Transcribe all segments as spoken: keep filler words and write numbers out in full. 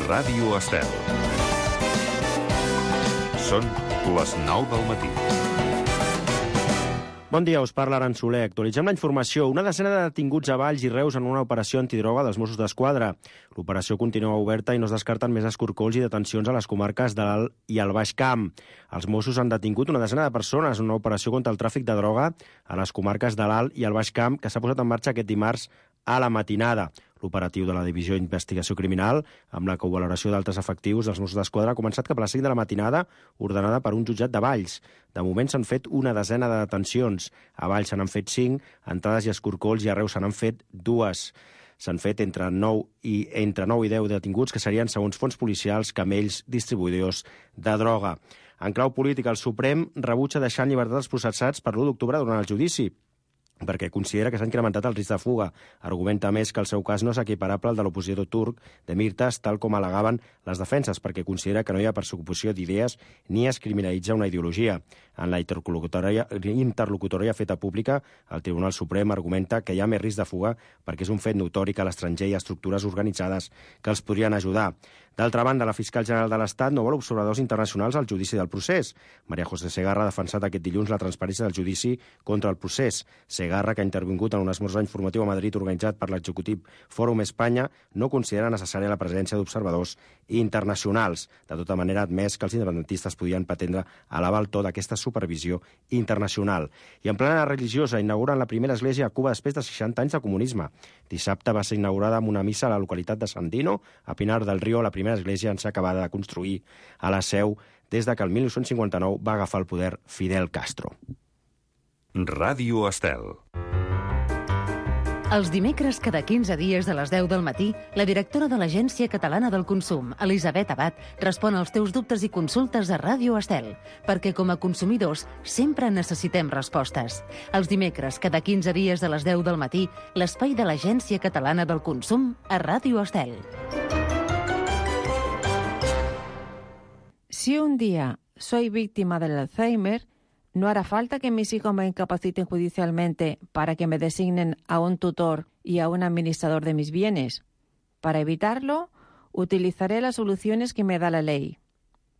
Ràdio Estel. Són les nou del matí. Bon dia, us parla Aran Soler. Actualitzem la informació. Una desena de detinguts a Valls i Reus en una operació antidroga dels Mossos d'Esquadra. L'operació continua oberta i no es descarten més escorcolls i detencions a les comarques de l'Alt i el Baix Camp. Els Mossos han detingut una desena de persones en una operació contra el tràfic de droga a les comarques de l'Alt i el Baix Camp que s'ha posat en marxa aquest dimarts a la matinada. L'operatiu de la Divisió d'Investigació Criminal, amb la covaloració d'altres efectius dels Mossos d'Esquadra, ha començat cap a les cinc de la matinada, ordenada per un jutjat de Valls. De moment s'han fet una desena de detencions. A Valls se n'han fet cinc, entrades i escorcolls, i a Reus se n'han fet dues. S'han fet entre nou i entre nou i deu detinguts, que serien, segons fons policials, camells distribuïdors de droga. En clau política, el Suprem rebutja deixar en llibertat els processats per l'u d'octubre durant el judici, perquè considera que s'ha incrementat el risc de fuga. Argumenta més que el seu cas no és equiparable al de l'opositor turc de Demirtas, tal com al·legaven les defenses, perquè considera que no hi ha persecució d'idees ni es criminalitza una ideologia. En la interlocutòria, interlocutòria feta pública, el Tribunal Suprem argumenta que hi ha més risc de fuga perquè és un fet notori que a l'estranger hi ha estructures organitzades que els podrien ajudar. D'altra banda, la fiscal general de l'Estat no vol observadors internacionals al judici del procés. María José Segarra ha defensat aquest dilluns la transparència del judici contra el procés. Segarra, que ha intervingut en un esmorzar informatiu a Madrid organitzat per l'executiu Fòrum Espanya, no considera necessària la presència d'observadors internacionals. De tota manera, ha admès que els independentistes podien pretendre elevar el to d'aquesta supervisió internacional. I en plena religiosa, inauguren la primera església a Cuba després de seixanta anys de comunisme. Dissabte va ser inaugurada amb una missa a la localitat de Sandino, a Pinar del Río, la primera església en ser acabada de construir a la Seu des de que el mil nou-cents cinquanta-nou va agafar el poder Fidel Castro. Ràdio Estel. Els dimecres, cada quinze dies a les deu del matí, la directora de l'Agència Catalana del Consum, Elisabet Abad, respon als teus dubtes i consultes a Ràdio Estel, perquè com a consumidors sempre necessitem respostes. Els dimecres, cada quinze dies a les deu del matí, l'espai de l'Agència Catalana del Consum a Ràdio Estel. Si un día soy víctima del Alzheimer, no hará falta que mis hijos me incapaciten judicialmente para que me designen a un tutor y a un administrador de mis bienes. Para evitarlo, utilizaré las soluciones que me da la ley.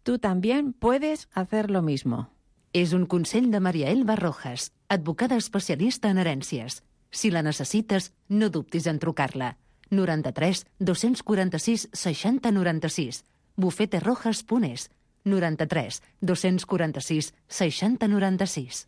Tú también puedes hacer lo mismo. És un consell de Maria Elba Rojas, advocada especialista en herències. Si la necessites, no dubtis en trucar-la. noranta-tres dos-cents quaranta-sis seixanta noranta-sis. bufete rojas punt es. noranta-tres dos-cents quaranta-sis seixanta noranta-sis.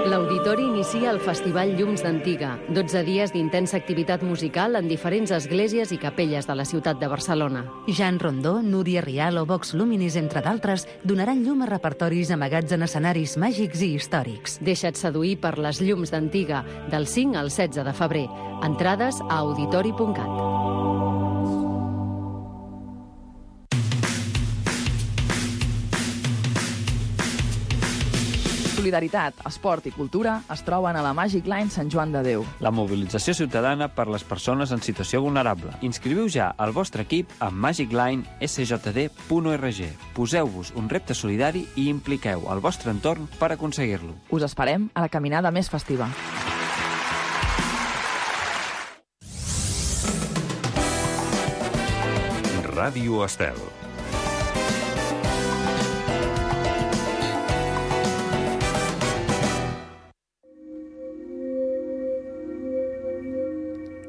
L'Auditori inicia el Festival Llums d'Antiga, dotze dies d'intensa activitat musical en diferents esglésies i capelles de la ciutat de Barcelona. Jan Rondó, Núria Rial o Vox Luminis, entre d'altres, donaran llum a repertoris amagats en escenaris màgics i històrics. Deixa't seduir per les Llums d'Antiga, del cinc al setze de febrer. Entrades a auditori punt cat. Solidaritat, esport i cultura es troben a la Magic Line Sant Joan de Déu. La mobilització ciutadana per les persones en situació vulnerable. Inscriviu ja el vostre equip a magic line s j d punt org. Poseu-vos un repte solidari i impliqueu el vostre entorn per aconseguir-lo. Us esperem a la caminada més festiva. Ràdio Estel.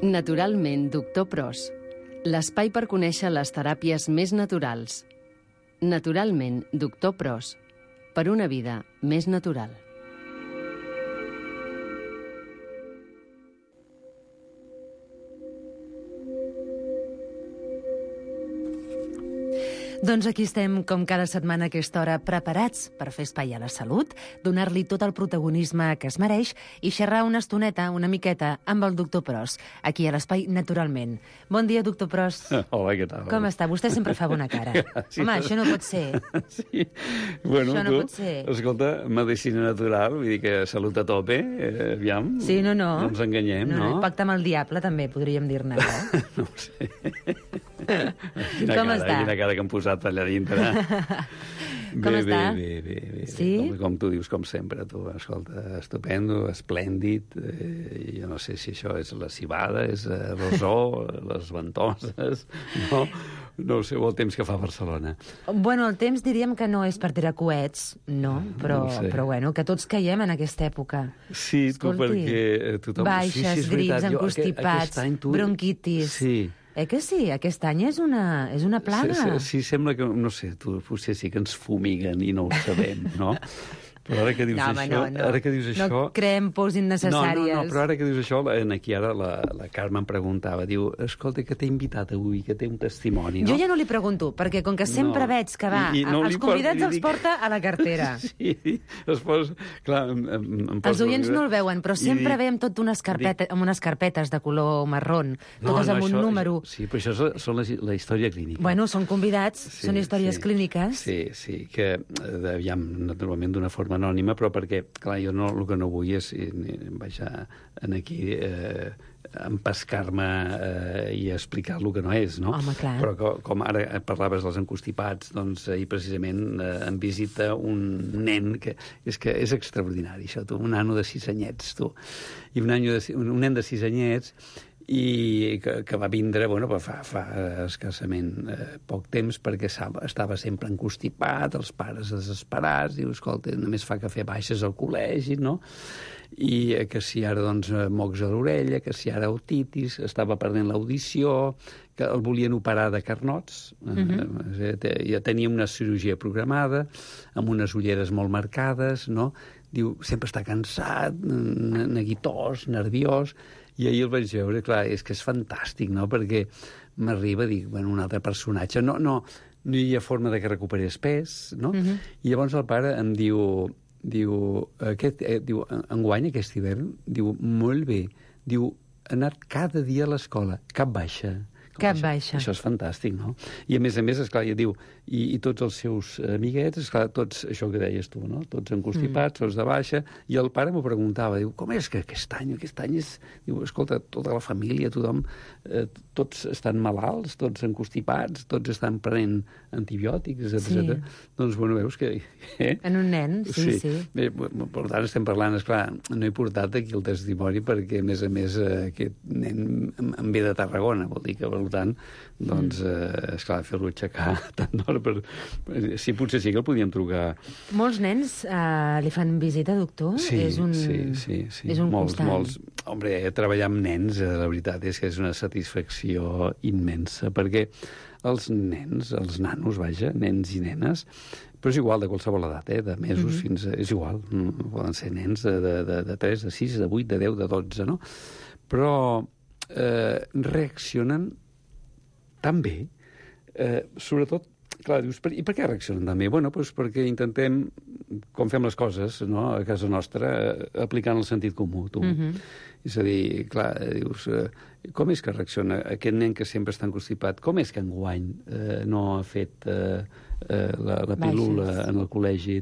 Naturalment, doctor Pros. L'espai per conèixer les teràpies més naturals. Naturalment, doctor Pros. Per una vida més natural. Doncs aquí estem, com cada setmana a aquesta hora, preparats per fer espai a la salut, donar-li tot el protagonisme que es mereix i xerrar una estoneta, una miqueta, amb el doctor Pros, aquí a l'espai Naturalment. Bon dia, doctor Pros. Hola, què tal? Com està? Vostè sempre fa bona cara. Sí, home, això no pot ser. Sí. Bueno, això no tu, pot ser. Escolta, medicina natural, vull dir que salut a tope, eh, aviam. Sí, no, no. No ens enganyem, no? no? Pacte amb el diable, també, podríem dir-ne. Eh? No ho sé. Quina Com cara, està? Quina cara que em posat allà dintre. Com bé, està? Bé, bé, bé, bé. Sí? Com, com tu dius, com sempre, tu, escolta, estupendo, esplèndid, eh, jo no sé si això és la cibada, és eh, rosó, les ventoses, no? No sé, el temps que fa a Barcelona. Bueno, el temps diríem que no és per tirar coets, no? Però, No ho sé. però bueno, que tots caiem en aquesta època. Sí, tu, Escolti, perquè tothom... baixes, sí, sí, és grips, veritat. Jo, aquest- encostipats, aquest any tu- bronquitis. Sí. Eh que sí? Aquest any és una, és una plaga. Sí, sí, sí, sembla que, no sé, tu, potser sí que ens fumiguen i no ho sabem, no? Però ara que dius No, home, això... no, no. Ara que dius No això... creem pors innecessàries. No, no, no, però ara que dius això, en aquí ara la, la Carme em preguntava, diu, escolta, que t'he invitat avui, que té un testimoni, no? Jo ja no li pregunto, perquè com que sempre No. veig que va, I- i no els li por- convidats li els dic- porta a la cartera. Sí, es posa... Clar, em, em, em Els oients no el veuen, però I sempre dic- ve amb, tot unes carpeta, amb unes carpetes de color marrón, totes amb un això- número. Sí, però això és, són la, la història clínica. Bueno, són convidats, Sí, són històries sí. clíniques. Sí, sí, que, eh, aviam, naturalment d'una forma anònima, però perquè, clar, jo no, el que no vull és, eh, vaja, en aquí, eh, empescar-me eh, i explicar el que no és, no? Home, clar. Però co, com ara parlaves dels encostipats, doncs ahir precisament eh, em visita un nen que és que és extraordinari, això, tu, un nano de sis anyets, tu, i un, any de, un, un nen de sis anyets i que, que va vindre, bueno, fa, fa escassament eh, poc temps, perquè estava sempre encostipat, els pares desesperats, diu, escolta, només fa cafè baixes al col·legi, no? I eh, que si ara, doncs, mocs a l'orella, que si ara otitis, estava perdent l'audició, que el volien operar de carnots, uh-huh. eh, ja tenia una cirurgia programada, amb unes ulleres molt marcades, no? Diu, sempre està cansat, neguitós, nerviós, i ahir el vaig veure, clar, és que és fantàstic, no?, perquè m'arriba a dir, bueno, un altre personatge, no, no, no hi ha forma de que recuperés pes, no? Uh-huh. I llavors el pare em diu, diu, aquest, eh, diu, enguany, aquest hivern, diu, molt bé, diu, ha anat cada dia a l'escola, cap baixa. Cap això, baixa. Això és fantàstic, no? I a més a més, esclar, ja diu, i, i tots els seus amiguets, esclar, tots, això que deies tu, no? Tots encostipats, mm. tots de baixa, i el pare m'ho preguntava, diu, com és que aquest any, aquest any és... Diu, escolta, tota la família, tothom, eh, tots estan malalts, tots encostipats, tots estan prenent antibiòtics, etcètera. Sí. Doncs, bueno, veus que... Eh? En un nen, sí, sí. sí. Bé, per tant, estem parlant, esclar, no he portat aquí el testimoni perquè, a més a més, eh, aquest nen em ve de Tarragona, vol dir que, per tant, doncs, eh, esclar, fer-lo aixecar tant d'hora per... Sí, potser sí que el podíem trucar. Molts nens eh, li fan visita, doctor? Sí, és un, sí, sí, sí. És un molts, constant. molts. Hombre, treballar amb nens, eh, la veritat és que és una satisfacció immensa, perquè els nens, els nanos, vaja, nens i nenes, però és igual de qualsevol edat, eh? De mesos mm-hmm. fins a... És igual, poden ser nens de, de, de tres, de sis, de vuit, de deu, de dotze, no? Però eh, reaccionen tan bé, eh, sobretot, clar, dius, per, i per què reaccionen tan bé? Bueno, doncs perquè intentem, com fem les coses, no?, a casa nostra, eh, aplicant el sentit comú, tu. Mm-hmm. És a dir, clar, dius, eh, com és que reacciona aquest nen que sempre està encostipat? Com és que enguany eh, no ha fet eh, eh, la, la pílula Baixes. En el col·legi?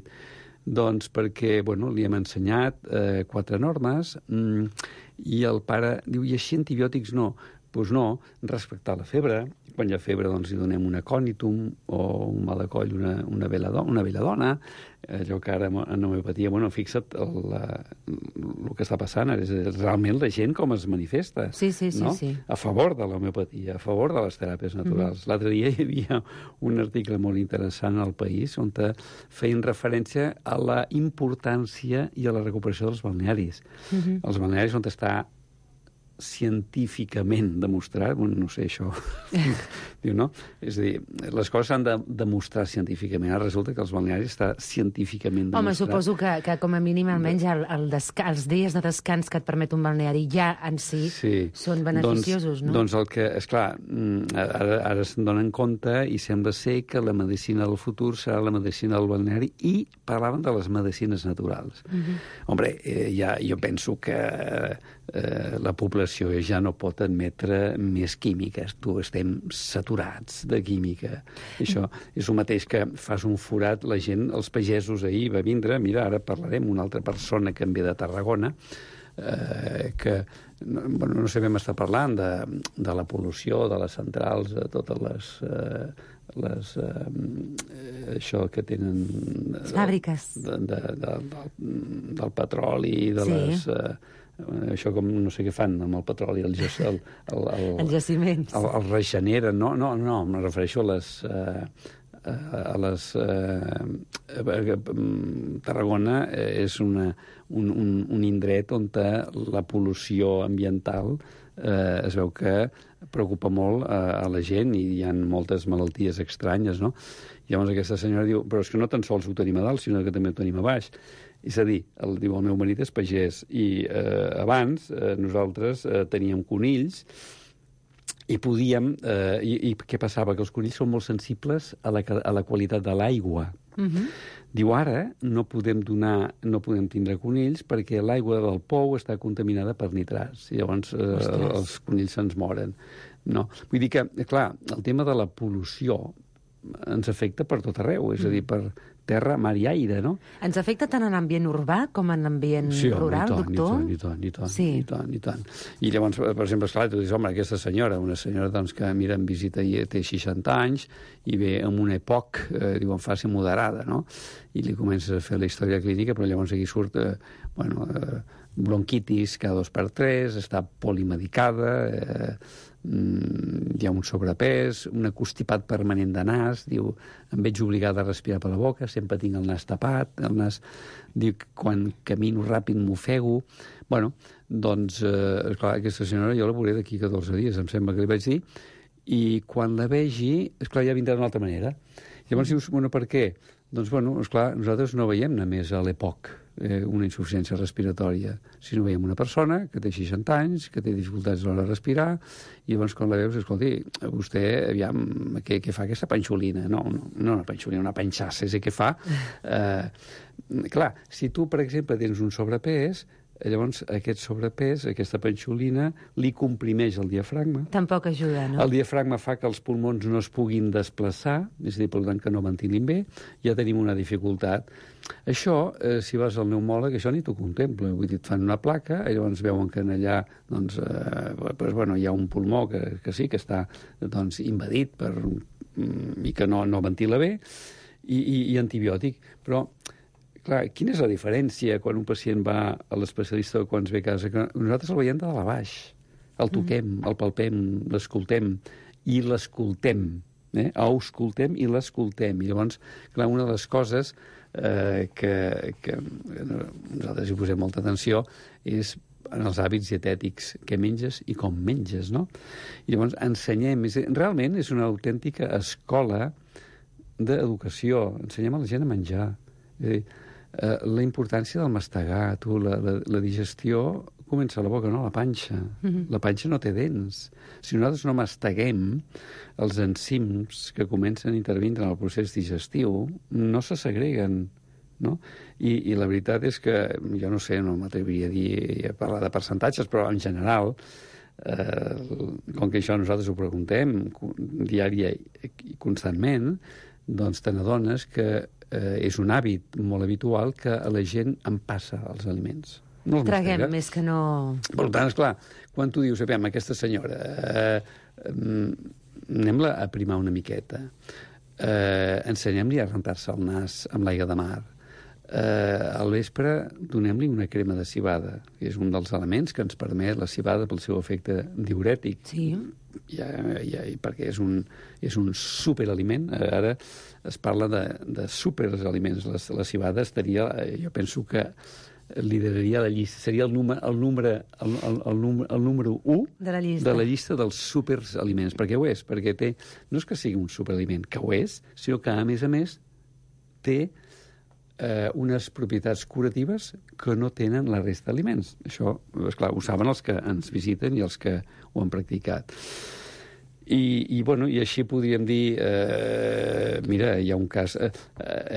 Doncs perquè, bueno, li hem ensenyat eh, quatre normes mm, i el pare diu, i així antibiòtics no. Doncs no, respectar la febre. Quan hi ha febre, doncs, hi donem un acònitum o un mal de coll, una, una, veladona, una veladona. Allò que ara en homeopatia, bueno, fixa't, el, la, el que està passant és realment la gent com es manifesta. Sí, sí, sí, no? sí. A favor de l'homeopatia, a favor de les teràpies naturals. Mm-hmm. L'altre dia hi havia un article molt interessant al País on feien referència a la importància i a la recuperació dels balnearis. Mm-hmm. Els balnearis on està científicament demostrat, bueno, no sé, això, diu, no? És a dir, les coses s'han de demostrar científicament. Ara resulta que els balnearis està científicament demostrat. Home, suposo que, que com a mínim, almenys el, el desca els dies de descans que et permet un balneari ja en si sí. són beneficiosos, doncs, no? Doncs el que, esclar, ara, ara se'n donen compte i sembla ser que la medicina del futur serà la medicina del balneari i parlaven de les medicines naturals. Mm-hmm. Hombre, eh, ja, jo penso que eh, la població ja no pot admetre més químiques. Tu estem saturats de química. Això és el mateix que fas un forat, la gent, els pagesos ahir va vindre, mira, ara parlarem, una altra persona que em ve de Tarragona, eh, que no, bueno, no sabem estar parlant de, de la pol·lució, de les centrals, de totes les... Eh, les, eh, això que tenen... Les fàbriques. De, de, de, de, del petroli, de sí. les... Eh, això com no sé què fan amb el petroli, el, el, el, el, els jaciments. El, el regeneren, no, no, no, em refereixo a les... Eh, a les... Eh, Tarragona és una, un, un, un indret on la pol·lució ambiental eh, es veu que preocupa molt a, a la gent i hi ha moltes malalties estranyes, no? I llavors aquesta senyora diu, però és que no tan sols ho tenim a dalt, sinó que també ho tenim a baix. És a dir, el, diu, el meu marit és pagès i eh, abans eh, nosaltres eh, teníem conills i podíem... Eh, i, I què passava? Que els conills són molt sensibles a la, a la qualitat de l'aigua. Uh-huh. Diu, ara no podem donar, no podem tindre conills perquè l'aigua del pou està contaminada per nitrats. I llavors eh, els conills se'ns moren. No. Vull dir que, clar, el tema de la pol·lució ens afecta per tot arreu, és a dir, per terra, mar i aire, no? Ens afecta tant en ambient urbà com en ambient sí, rural, home, doctor? Sí, i tant, i tant, sí. i tant, i tant. I llavors, per exemple, esclar, tu dius, home, aquesta senyora, una senyora doncs, que mira en visita i té seixanta anys i ve amb una E P O C, eh, diuen, fase moderada, no? I li comences a fer la història clínica, però llavors aquí surt, eh, bueno, eh, bronquitis cada dos per tres, està polimedicada, eh, hi ha un sobrepès, un constipat permanent de nas, diu, em veig obligada a respirar per la boca, sempre tinc el nas tapat, el nas, diu, quan camino ràpid m'ofego. Bueno, doncs, eh, esclar, aquesta senyora jo la veuré d'aquí catorze dies, em sembla que li vaig dir, i quan la vegi, esclar, ja vindrà d'una altra manera. Llavors dius, bueno, per què? Doncs, bueno, esclar, nosaltres no veiem només a l'E P O C eh, una insuficiència respiratòria, sinó veiem una persona que té seixanta anys, que té dificultats a l'hora de respirar, i llavors quan la veus, escolti, vostè, aviam, què, què fa aquesta panxolina? No, no, no una panxolina, una panxassa, és el que fa. Eh, clar, si tu, per exemple, tens un sobrepès, llavors aquest sobrepès, aquesta panxolina, li comprimeix el diafragma. Tampoc ajuda, no? El diafragma fa que els pulmons no es puguin desplaçar, és a dir, per tant, que no ventilin bé, ja tenim una dificultat. Això, eh, si vas al pneumòleg, això ni t'ho contempla. Vull dir, et fan una placa, i llavors veuen que en allà doncs, eh, doncs, bueno, hi ha un pulmó que, que sí, que està doncs, invadit per, i que no, no ventila bé, i, i, i antibiòtic. Però clar, quina és la diferència quan un pacient va a l'especialista o quan es ve a casa? Que nosaltres el veiem de dalt a baix. El toquem, el palpem, l'escoltem i l'escoltem. Eh? Auscultem i l'escoltem. I llavors, clar, una de les coses eh, que, que nosaltres hi posem molta atenció és en els hàbits dietètics, què menges i com menges, no? I llavors ensenyem, és, realment és una autèntica escola d'educació. Ensenyem a la gent a menjar. És a dir, eh, la importància del mastegar, tu, la, la, la digestió comença a la boca, no a la panxa. Mm-hmm. La panxa no té dents. Si nosaltres no masteguem, els enzims que comencen a intervindre en el procés digestiu no se segreguen, no? I, i la veritat és que, jo no sé, no m'atreviria a dir, a parlar de percentatges, però en general, eh, com que això nosaltres ho preguntem diària i constantment, doncs te n'adones que eh, és un hàbit molt habitual que a la gent en passa els aliments. No traguem més que no... Per tant, esclar, quan tu dius, aviam, aquesta senyora, eh, eh, anem-la a primar una miqueta, eh, ensenyem-li a rentar-se el nas amb l'aigua de mar, eh, al vespre donem-li una crema de civada, que és un dels elements que ens permet la civada pel seu efecte diurètic. Sí. Ja, ja, perquè és un, és un superaliment. Ara es parla de, de superaliments. La, la civada estaria, jo penso que lideraria la llista, seria el número, el número, el, el, el, número, el número u de la llista, de la llista dels superaliments, perquè ho és, perquè té, no és que sigui un superaliment, que ho és, sinó que a més a més té eh, unes propietats curatives que no tenen la resta d'aliments. Això, esclar, ho saben els que ens visiten i els que ho han practicat. I, i, bueno, i així podríem dir, eh, mira, hi ha un cas... Eh,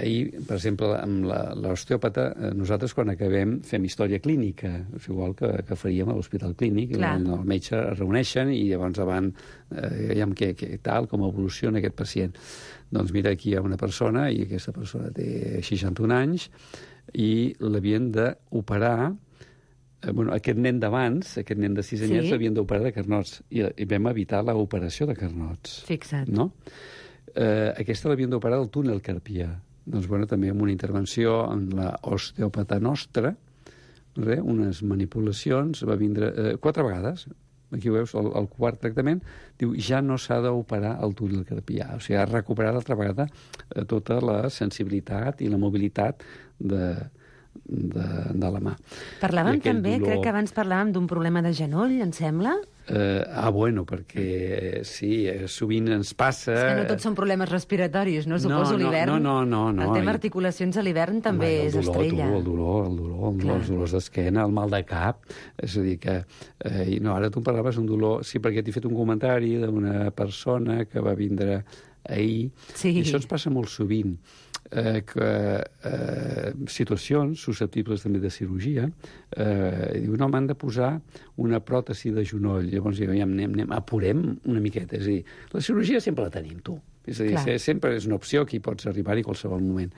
ahir, per exemple, amb l'osteòpata, eh, nosaltres quan acabem fem història clínica, és igual que, que faríem a l'hospital clínic, el, el metge es reuneixen i llavors davant eh, veiem què, què tal, com evoluciona aquest pacient. Doncs mira, aquí hi ha una persona i aquesta persona té seixanta-un anys i l'havien d'operar eh, bueno, aquest nen d'abans, aquest nen de sis anyets, Sí. l'havien d'operar de carnots, i, i vam evitar l'operació de carnots. Fixa't. No? Eh, aquesta l'havien d'operar del túnel carpià. Doncs, bueno, també amb una intervenció en la osteòpata nostra, res, unes manipulacions, va vindre eh, quatre vegades. Aquí ho veus, el, el quart tractament, diu, ja no s'ha d'operar el túnel carpià. O sigui, ha recuperat altra vegada eh, tota la sensibilitat i la mobilitat de, de, de la mà. Parlàvem I aquell també, dolor- crec que abans parlàvem d'un problema de genoll, em sembla. Eh, ah, bueno, perquè eh, sí, eh, sovint ens passa... És que no tots són problemes respiratoris, no? No, Suposo no, l'hivern. no, no, no, no. El tema I- articulacions a l'hivern també Home, és el dolor, estrella. Tu, el dolor, el dolor, el dolor, els dolors d'esquena, el mal de cap. És a dir que... Eh, i no, ara tu em parlaves d'un dolor... Sí, perquè t'he fet un comentari d'una persona que va vindre ahir. Sí. I això ens passa molt sovint. Eh, que eh, situacions susceptibles també de cirurgia, eh, diu, no, m'han de posar una pròtesi de genoll. Llavors, ja anem, anem, apurem una miqueta. És a dir, la cirurgia sempre la tenim, tu. És a dir, Clar. sempre és una opció que hi pots arribar-hi a qualsevol moment.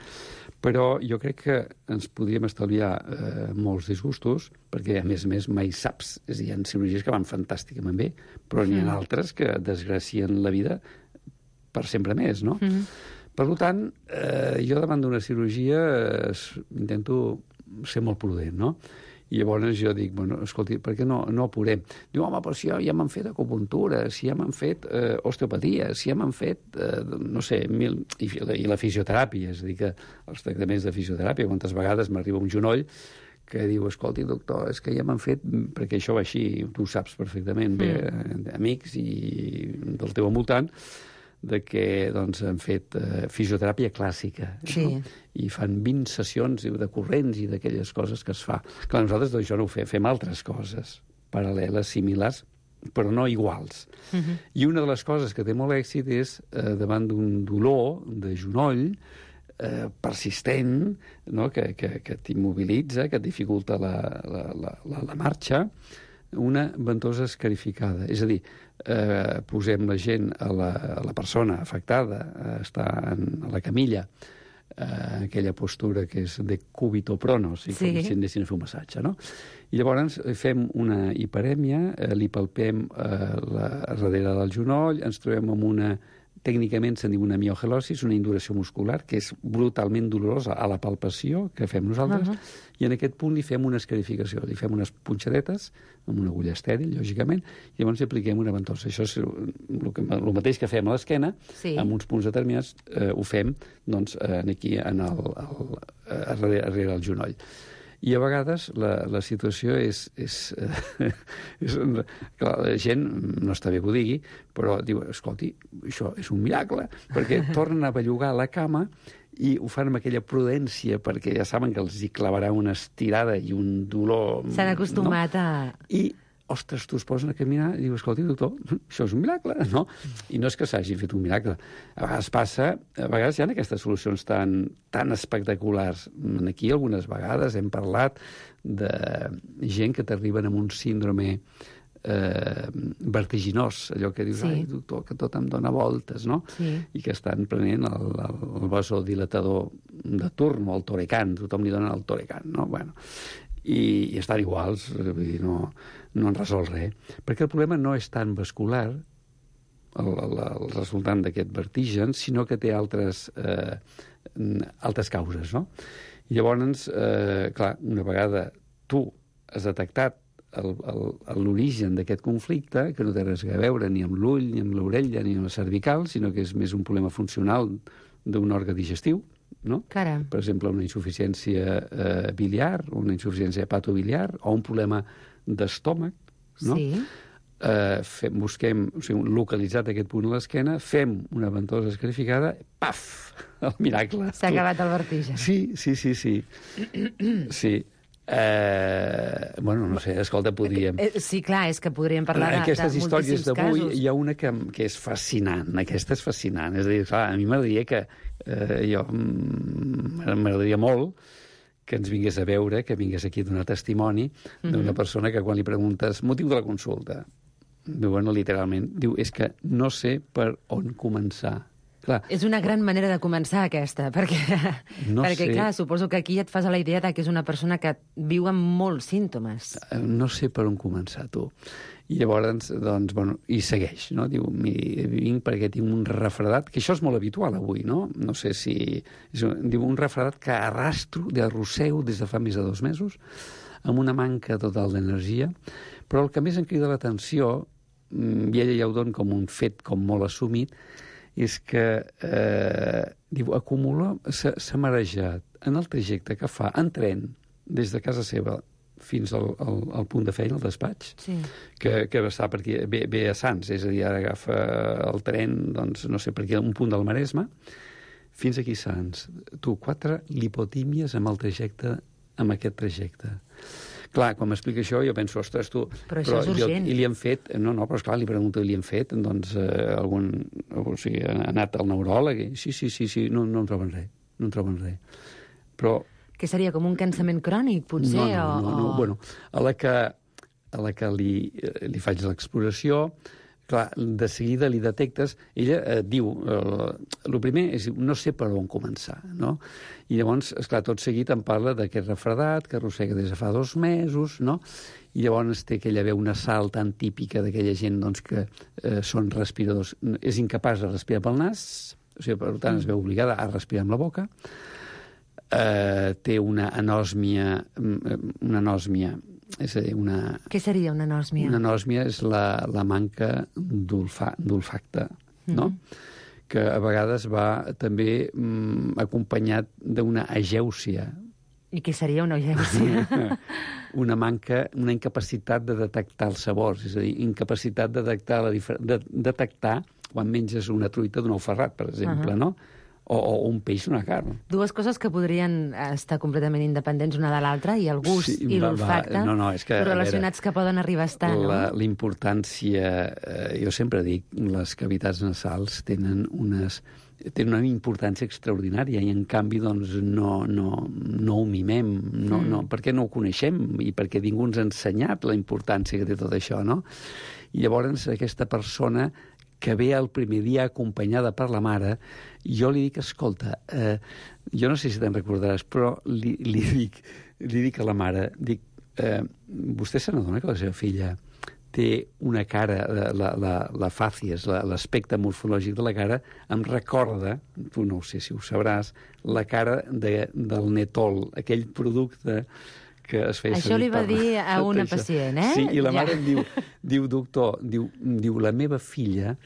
Però jo crec que ens podríem estalviar eh, molts disgustos, perquè, a més a més, mai saps. És a dir, hi ha cirurgies que van fantàsticament bé, però n'hi ha altres que desgracien la vida per sempre més, no? Mm -hmm. Per tant, eh, jo davant d'una cirurgia eh, intento ser molt prudent, no? I llavors jo dic, bueno, escolti, per què no, no apurem? Diu, home, però si ja, ja m'han fet acupuntura, si ja m'han fet eh, osteopatia, si ja m'han fet, eh, no sé, mil... I, I la fisioteràpia, és a dir, que els tractaments de fisioteràpia, quantes vegades m'arriba un genoll que diu, escolti, doctor, és que ja m'han fet, perquè això va així, tu ho saps perfectament, bé, mm. amics i del teu envoltant, de que doncs, han fet eh, fisioteràpia clàssica. Sí. No? I fan vint sessions de corrents i d'aquelles coses que es fa. Clar, nosaltres doncs, això no ho fem, fem altres coses paral·leles, similars, però no iguals. Uh -huh. I una de les coses que té molt èxit és, eh, davant d'un dolor de genoll, eh, persistent, no? que, que, que t'immobilitza, que et dificulta la, la, la, la, la marxa, una ventosa escarificada. És a dir, eh, posem la gent, a la, a la persona afectada, a estar en, a la camilla, eh, aquella postura que és de cúbito prono, si, Sí. com si anessin a fer un massatge, no? I llavors fem una hiperèmia, eh, li palpem eh, la, darrere del genoll, ens trobem amb una, tècnicament se'n diu una miogelosis, una induració muscular, que és brutalment dolorosa a la palpació que fem nosaltres, uh -huh. i en aquest punt li fem una escarificació, li fem unes punxadetes, amb una agulla estèril, lògicament, i llavors li apliquem una ventosa. Això és el, que, el mateix que fem a l'esquena, Sí. amb uns punts determinats, eh, ho fem doncs, eh, aquí, en el, el, eh, darrere, darrere el genoll. I a vegades la, la situació és... és, eh, és clar, la gent, no està bé que ho digui, però diu, escolti, això és un miracle, perquè tornen a bellugar la cama i ho fan amb aquella prudència, perquè ja saben que els hi clavarà una estirada i un dolor... S'han acostumat no? a... I, ostres, tu es posen a caminar i diu, escolti, doctor, això és un miracle, no? I no és que s'hagi fet un miracle. A vegades passa, a vegades hi ha aquestes solucions tan, tan espectaculars. Aquí algunes vegades hem parlat de gent que t'arriben amb un síndrome eh, vertiginós, allò que dius, Sí. ai, doctor, que tot em dóna voltes, no? Sí. I que estan prenent el, el, el vasodilatador de turn, o el Torecan, tothom li dona el Torecan, no? Bueno, i, i estan iguals, vull dir, no, no han resolt res. Perquè el problema no és tan vascular, el, el, el resultant d'aquest vertigen, sinó que té altres, eh, altres causes, no? I llavors, eh, clar, una vegada tu has detectat l'origen d'aquest conflicte, que no té res a veure ni amb l'ull, ni amb l'orella, ni amb la cervical, sinó que és més un problema funcional d'un òrgan digestiu, no? Caram. Per exemple, una insuficiència eh, biliar, una insuficiència hepatobiliar, o un problema d'estómac, no? Sí. Eh, fem, busquem, o sigui, localitzat aquest punt a l'esquena, fem una ventosa escarificada, paf, el miracle. S'ha acabat el vertigen. Sí, sí, sí, sí. Sí. Eh, bueno, no sé, escolta, podríem... Eh, Sí, clar, és que podríem parlar de, Aquestes de històries moltíssims d'avui, casos. hi ha una que, que és fascinant, aquesta és fascinant, és a dir, clar, a mi m'agradaria que eh, jo mm, m'agradaria molt que ens vingués a veure, que vingués aquí a donar testimoni d'una persona que quan li preguntes motiu de la consulta, diu, bueno, literalment, diu, és que no sé per on començar. Clar, És una gran manera de començar, aquesta, perquè, No perquè sé. clar, suposo que aquí et fas a la idea de que és una persona que viu amb molts símptomes. no sé per on començar, tu. I llavors, doncs, bueno, i segueix, no? Diu, miri, vinc perquè tinc un refredat, que això és molt habitual avui, no? No sé si... És un, diu, un refredat que arrastro, d'arrossego des de fa més de dos mesos, amb una manca total d'energia, però el que més em crida l'atenció, mm, i ella ja ho dona com un fet com molt assumit, és que, eh, diu, acumula, s'ha marejat en el trajecte que fa en tren des de casa seva fins al, al, al punt de feina, al despatx, Sí. que, que està per aquí, ve, ve a Sants, és a dir, ara agafa el tren, doncs, no sé, per aquí, un punt del Maresme, fins aquí a Sants. Tu, quatre lipotímies amb el trajecte, amb aquest trajecte. Clar, quan m'explica això, jo penso, ostres, tu... Però això és urgent. I, I li han fet... No, no, però esclar, li pregunto, li han fet, doncs, eh, algun... O sigui, ha anat al neuròleg i... Sí, sí, sí, sí, no, no en troben res, no en troben res. Però... Que seria com un cansament crònic, potser? No, no, o, no, no. o... Bueno, a la que, a la que li, li faig l'exploració, clar, de seguida li detectes... Ella eh, diu... Eh, el primer és, no sé per on començar, no? I llavors, esclar, tot seguit em parla d'aquest refredat que arrossega des de fa dos mesos, no? I llavors té aquella veu nasal tan típica d'aquella gent doncs, que eh, són respiradors. És incapaç de respirar pel nas, o sigui, per tant, es veu obligada a respirar amb la boca. Eh, té una anòsmia, una anòsmia, és a dir, una... Què seria una anòsmia? Una anòsmia és la, la manca d'olfacte, no? Mm-hmm. Que a vegades va també mm, acompanyat d'una agèusia. I què seria una agèusia? Una manca, una incapacitat de detectar els sabors, és a dir, incapacitat de detectar, la difer... de detectar quan menges una truita d'un ou ferrat, per exemple, uh-huh. no? O, o un peix, una carn. Dues coses que podrien estar completament independents una de l'altra, i el gust Sí, i va, l'olfacte, va. No, no, és que, però a relacionats veure, que poden arribar a estar, no? La, la importància, eh, jo sempre dic, les cavitats nasals tenen unes tenen una importància extraordinària i en canvi doncs no, no, no ho mimem, no, mm. no, perquè no ho coneixem i perquè ningú ens ha ensenyat la importància que té tot això, no? I llavors aquesta persona que ve el primer dia acompanyada per la mare, jo li dic, escolta, eh, jo no sé si te'n recordaràs, però li, li, dic, li dic a la mare, dic, eh, vostè se n'adona que la seva filla té una cara, la, la, la fàcies, l'aspecte morfològic de la cara, em recorda, tu no ho sé si ho sabràs, la cara de, del Netol, aquell producte que es feia... Això li va per... dir a una pacient, eh? Sí, i la mare ja. em diu, diu, doctor, diu, diu, la meva filla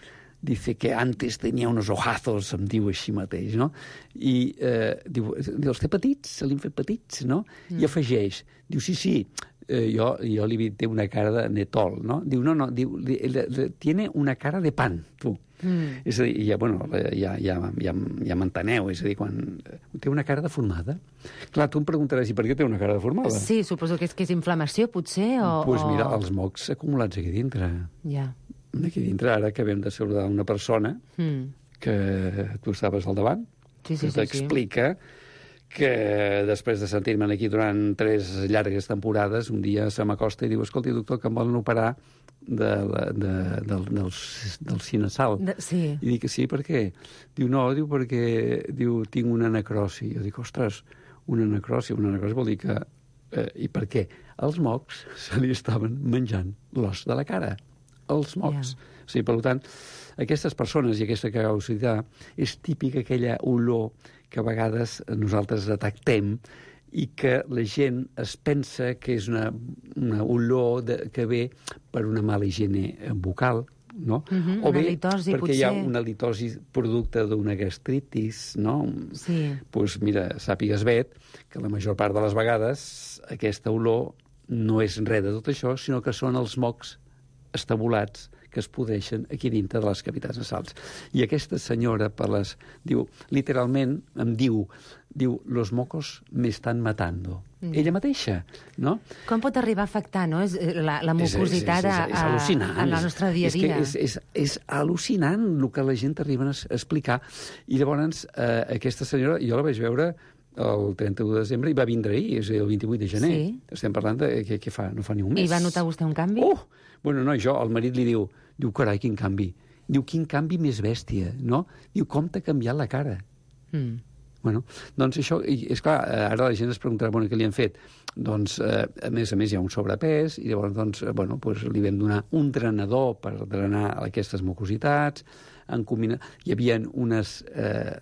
dice que antes tenia unos ojazos, em diu així mateix, no? I eh, diu, els té petits, se li han fet petits, no? Mm. I afegeix, diu, sí, sí, eh, jo, jo li dic, té una cara de Netol, no? Diu, no, no, diu, li, li, li, tiene una cara de pan, tu. Mm. És a dir, ja, bueno, ja, ja, ja, ja m'enteneu, és a dir, quan té una cara deformada. Clar, tu em preguntaràs, i per què té una cara deformada? Sí, suposo que és, que és inflamació, potser, o... Doncs pues mira, o... els mocs acumulats aquí dintre. Ja. Aquí dintre, ara acabem de saludar una persona mm. que tu estaves al davant, sí, sí, que t'explica sí, sí. que després de sentir-me aquí durant tres llargues temporades, un dia se m'acosta i diu, escolti, doctor, que em volen operar de, de, de, del, del, del cinasal. De, sí. I dic, sí, per què? Diu, no, diu, perquè diu, tinc una necrosi. Jo dic, ostres, una necrosi, una necrosi vol dir que... Eh, I per què? Els mocs se li estaven menjant l'os de la cara. Els mocs. Yeah. O sigui, per tant, aquestes persones i aquesta que acabo de citar és típica aquella olor que a vegades nosaltres detectem i que la gent es pensa que és una, una olor de, que ve per una mala higiene bucal, no? Mm-hmm, o bé litosi, perquè potser. hi ha una litosi producte d'una gastritis, no? Sí. Doncs pues mira, sàpigues bé que la major part de les vegades aquesta olor no és res de tot això, sinó que són els mocs estabulats que es podeixen aquí dintre de les cavitats nasals. I aquesta senyora, per les, diu, literalment, em diu, diu, los mocos me están matando. Mm. Ella mateixa, no? Com pot arribar a afectar, no? És la, la mucositat és, és, és, és al·lucinant. A, a la nostra dia a dia. És, que és, és, és al·lucinant el que la gent arriba a explicar. I llavors, eh, aquesta senyora, jo la vaig veure el trenta-u de desembre i va vindre ahir, és el vint-i-vuit de gener. Sí. Estem parlant de què, què fa, no fa ni un mes. I va notar vostè un canvi? Oh! Bueno, no, jo, el marit li diu, diu, carai, quin canvi. Diu, quin canvi més bèstia, no? Diu, com t'ha canviat la cara? Mm. Bueno, doncs això, i és clar, ara la gent es preguntarà, bueno, què li han fet? Doncs, eh, a més a més, hi ha un sobrepès, i llavors, doncs, eh, bueno, doncs li vam donar un drenador per drenar aquestes mucositats, en combina... hi havia unes... Eh,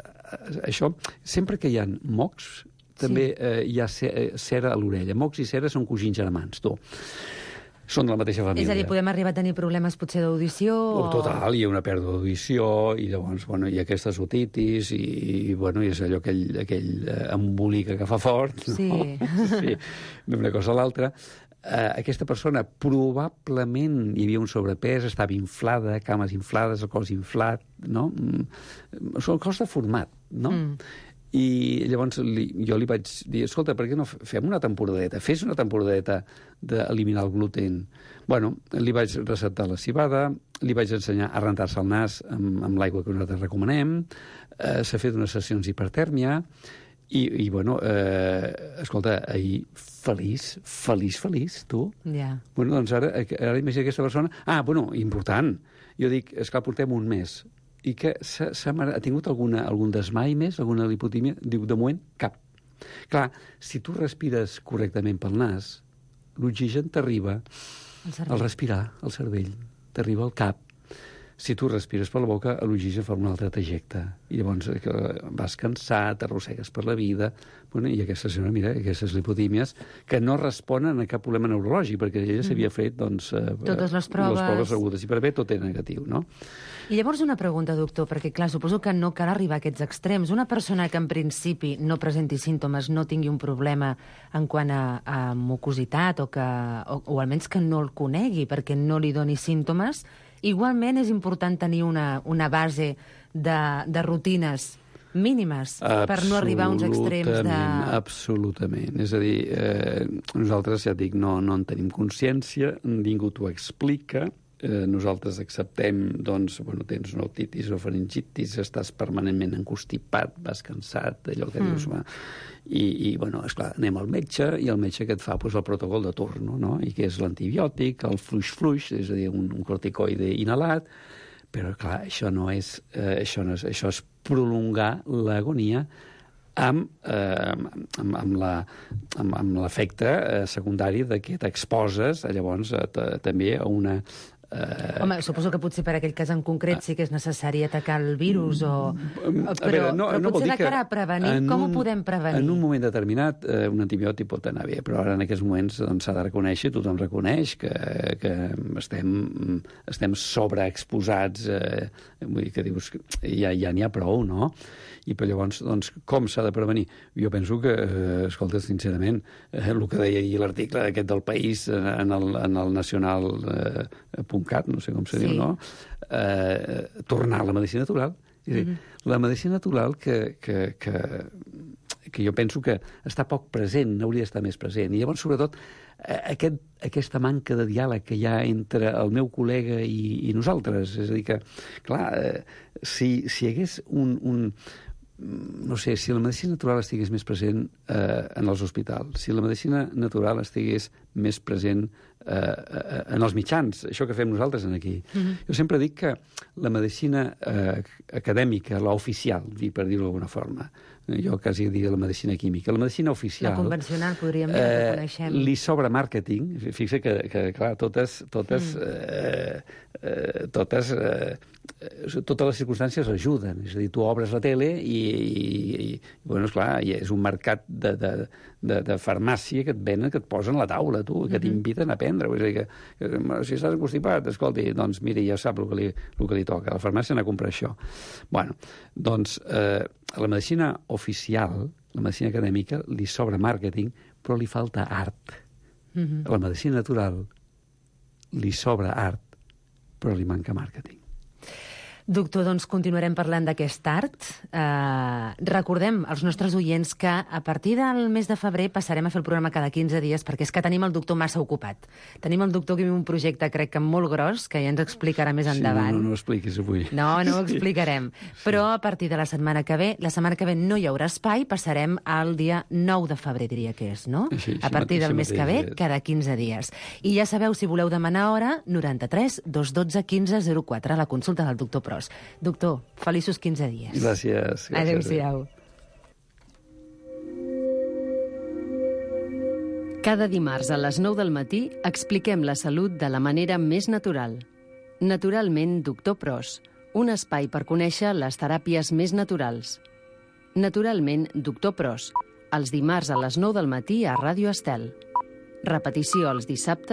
això, sempre que hi ha mocs, també sí. eh, hi ha cera a l'orella. Mocs i cera són cosins germans, tu. Són de la mateixa família. És a dir, podem arribar a tenir problemes potser d'audició? O... Total, hi ha una pèrdua d'audició, i llavors, bueno, hi ha aquestes otitis, i, i bueno, i és allò, aquell, aquell embolic que fa fort, no? Sí. Sí, d'una cosa a l'altra. Uh, aquesta persona probablement hi havia un sobrepès, estava inflada, cames inflades, el cos inflat, no? Mm, el cos deformat, no? Mm. I llavors li, jo li vaig dir, escolta, per què no fem una temporadeta? Fes una temporadeta d'eliminar el gluten. Bueno, li vaig receptar la civada, li vaig ensenyar a rentar-se el nas amb, amb l'aigua que nosaltres recomanem, eh, s'ha fet unes sessions d'hipertèrmia, i, i bueno, eh, escolta, ahir feliç, feliç, feliç, tu. Ja. Yeah. Bueno, doncs ara, ara imagina aquesta persona... Ah, bueno, important. Jo dic, esclar, portem un mes, i que s'ha, s'ha, ha tingut alguna, algun desmai més, alguna lipotímia? Diu, de moment, cap. Clar, si tu respires correctament pel nas, l'oxigen t'arriba al respirar, al cervell, t'arriba al cap. Si tu respires per la boca, l'oxigen fa un altre trajecte. I llavors vas cansat, t'arrossegues per la vida... Bueno, i aquesta senyora, mira, aquestes lipotímies, que no responen a cap problema neurològic, perquè ella s'havia fet, doncs... Totes les proves... Les proves agudes, i per bé tot era negatiu, no? I llavors una pregunta, doctor, perquè, clar, suposo que no cal arribar a aquests extrems. Una persona que, en principi, no presenti símptomes, no tingui un problema en quant a, a mucositat, o, que, o, o almenys que no el conegui, perquè no li doni símptomes, igualment és important tenir una, una base de, de rutines mínimes per no arribar a uns extrems de... Absolutament. És a dir, eh, nosaltres, ja et dic, no, no en tenim consciència, ningú t'ho explica, eh, nosaltres acceptem, doncs, bueno, tens una otitis o faringitis, estàs permanentment encostipat, vas cansat, allò que mm. dius... Va, i, i, bueno, esclar, anem al metge, i el metge que et fa pues, el protocol de torno, no? I que és l'antibiòtic, el fluix-fluix, és a dir, un, un corticoide inhalat, però, clar, això no és... Eh, això, no és això és prolongar l'agonia amb, eh, amb, amb, la, amb, amb l'efecte eh, secundari de que t'exposes, llavors, eh, també a una... Eh... Home, suposo que potser per aquell cas en concret sí que és necessari atacar el virus, o... però, veure, no, però no potser de cara a prevenir, com un, ho podem prevenir? En un moment determinat, eh, un antibiòtic pot anar bé, però ara en aquests moments s'ha doncs, de reconèixer, tothom reconeix que, que estem, estem sobreexposats, eh, vull dir que dius que ja ja n'hi ha prou, no? I per llavors, doncs, com s'ha de prevenir? Jo penso que, eh, escolta, sincerament, eh, el que deia ahir l'article aquest del País en el, en el nacional eh, .cat, no sé com se sí. diu, no? Eh, tornar a la medicina natural. És a dir, mm-hmm. la medicina natural que, que, que, que jo penso que està poc present, hauria d'estar més present. I llavors, sobretot, aquest, aquesta manca de diàleg que hi ha entre el meu col·lega i, i nosaltres. És a dir que, clar, eh, si, si hi hagués un... un no sé, si la medicina natural estigués més present eh, en els hospitals, si la medicina natural estigués més present eh, en els mitjans, això que fem nosaltres aquí. Mm-hmm. Jo sempre dic que la medicina eh, acadèmica, la oficial, per dir-ho d'alguna forma, jo quasi diria la medicina química, la medicina oficial... La convencional, podríem dir, eh, que coneixem. Li sobra màrqueting, fixa que, que clar, totes... totes mm. eh, eh, totes eh, totes les circumstàncies ajuden. És a dir, tu obres la tele i, i, i bueno, esclar, és un mercat de, de, de, de farmàcia que et venen, que et posen a la taula, tu, que t'inviten a prendre. És a dir, que, que si estàs constipat, escolti, doncs mira, ja sap el que li, el que li toca. A la farmàcia anar a comprar això. Bueno, doncs, eh, la medicina oficial, la medicina acadèmica, li sobra màrqueting, però li falta art. Mm-hmm. A la medicina natural li sobra art, però li manca màrqueting. Doctor, doncs continuarem parlant d'aquest art. Uh, recordem als nostres oients que a partir del mes de febrer passarem a fer el programa cada quinze dies perquè és que tenim el doctor massa ocupat. Tenim el doctor que viu un projecte, crec que molt gros, que ja ens explicarà més endavant. Sí, no, no, no ho expliquis avui. No, no ho explicarem. Sí. Però a partir de la setmana que ve, la setmana que ve no hi haurà espai, passarem al dia nou de febrer, diria que és, no? Sí, a partir del mes que ve, cada quinze dies. I ja sabeu, si voleu demanar hora, noranta-tres dos dotze quinze zero quatre, a la consulta del doctor Pros. Doctor, feliços quinze dies. Gràcies. gràcies. Adéu-siau. Cada dimarts a les nou del matí expliquem la salut de la manera més natural. Naturalment, doctor Pros, un espai per conèixer les teràpies més naturals. Naturalment, doctor Pros, els dimarts a les nou del matí a Ràdio Estel. Repetició els dissabtes